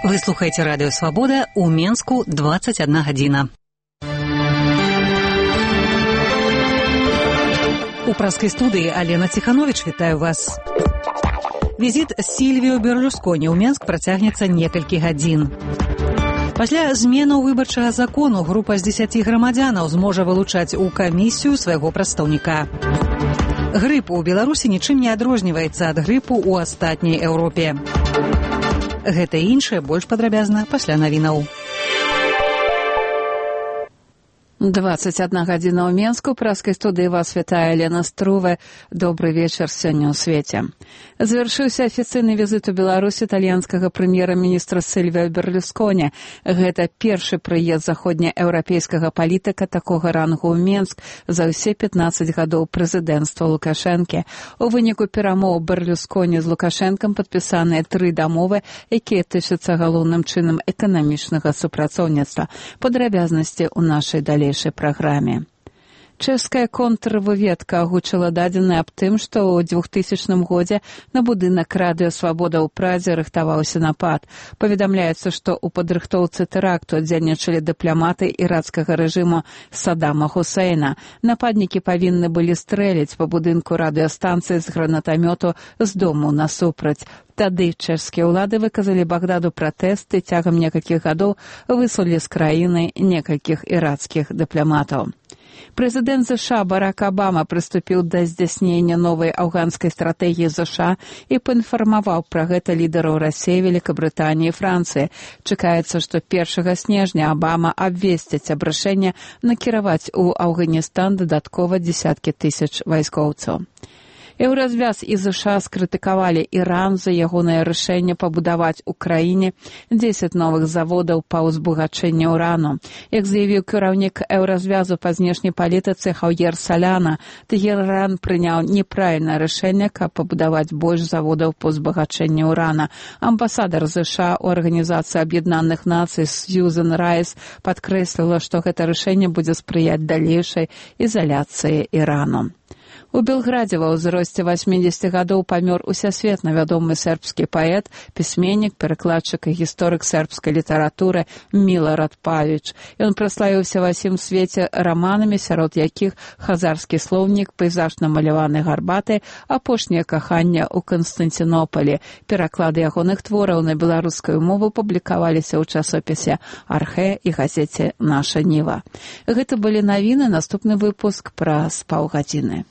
Вы слухаеце радыё Свабода, у Менску 21 гадзіна. У праскай студыі Алена Ціхановіч, вітаю вас. Візіт Сільвіо Берлусконі ў Менск працягнецца некалькі гадзін. Пасля зменаў выбарчага закону група з 10 грамадзянаў зможа вылучаць у камісію свайго прадстаўніка. Грып у Беларусі нічым не адрозніваецца ад грыпу ў астатняй Еўропе. Гэта і іншае больш падрабязна пасля навінаў. 21 гадзіна ў Менску. Праскай студыі вас вітае Лена Струве. Добры вечар сёння ў свеце. Завяршыўся афіцыйны візіт у Беларусь італьянскага прэм'ера-міністра Сільвіо Берлусконі. Гэта першы прыезд заходнееўрапейскага палітыка такога рангу ў Менск за ўсе 15 гадоў прэзідэнцтва Лукашэнкі. У выніку перамоў Берлусконі з Лукашэнкам падпісаныя 3 дамовы, якія тычацца галоўным чынам эканамічнага супрацоўніцтва. Падрабязнасці ў нашай далейшай праграме. Чэшская контрвыведка агучыла дадзеныя аб тым, што ў 2000 годзе на будынак радыё Свабода ў Прадзе рыхтаваўся напад. Паведамляецца, што ў падрыхтоўцы тэракту дзейнічалі дыпламаты ірацкага рэжыму Саддама Хусейна. Нападнікі павінны былі стрэліць па будынку радыёстанцыі з гранатамёту з дому насупраць. Тады чэшскія ўлады выказалі Багдаду пратэсты, цягам некалькіх гадоў выслалі з краіны некалькіх ірацкіх дыпламатаў. Прэзідэнт ЗША Барак Абама прыступіў да здзяйснення новай афганскай стратэгіі ЗША і паінфармаваў пра гэта лідараў Расіі, Великабрытаніі і Францыі. Чакаецца, што 1 снежня Абама абвесціць аб рашэнні накіраваць у Афганістан дадаткова дзесяткі тысяч вайскоўцаў. Еўразвяз і ЗША скрытыкавалі Іран за ягонае рашэнне пабудаваць у краіне 10 новых заводаў па ўзбагачэнні ўрану. Як заявіў кіраўнік Еўразвязу па знешняй палітыцы Хаўер Саляна, Тэхеран прыняў неправільнае рашэнне, каб пабудаваць больш заводаў па ўзбагачэнні ўрана. Амбасадар ЗША ў Арганізацыі Аб'яднаных Нацый Сьюзен Райс падкрэсліла, што гэта рашэнне будзе спрыяць далейшай ізаляцыі Ірану. У Белградзе ва ўзросце 80 гадоў памёр усесветна вядомы сербскі паэт, пісьменнік, перакладчык і гісторык сербскай літаратуры Милорад Павіч. Ён праславіўся ва ўсім свеце раманамі, сярод якіх хазарскі слоўнік, пейзаж намаляваны гарбатай, апошняе каханне ў Канстантынополі. Пераклады ягоных твораў на беларускую мову публікаваліся ў часопісе «Архэ» і газеце «Наша Ніва». Гэта былі навіны, наступны выпуск праз паўгадзіны.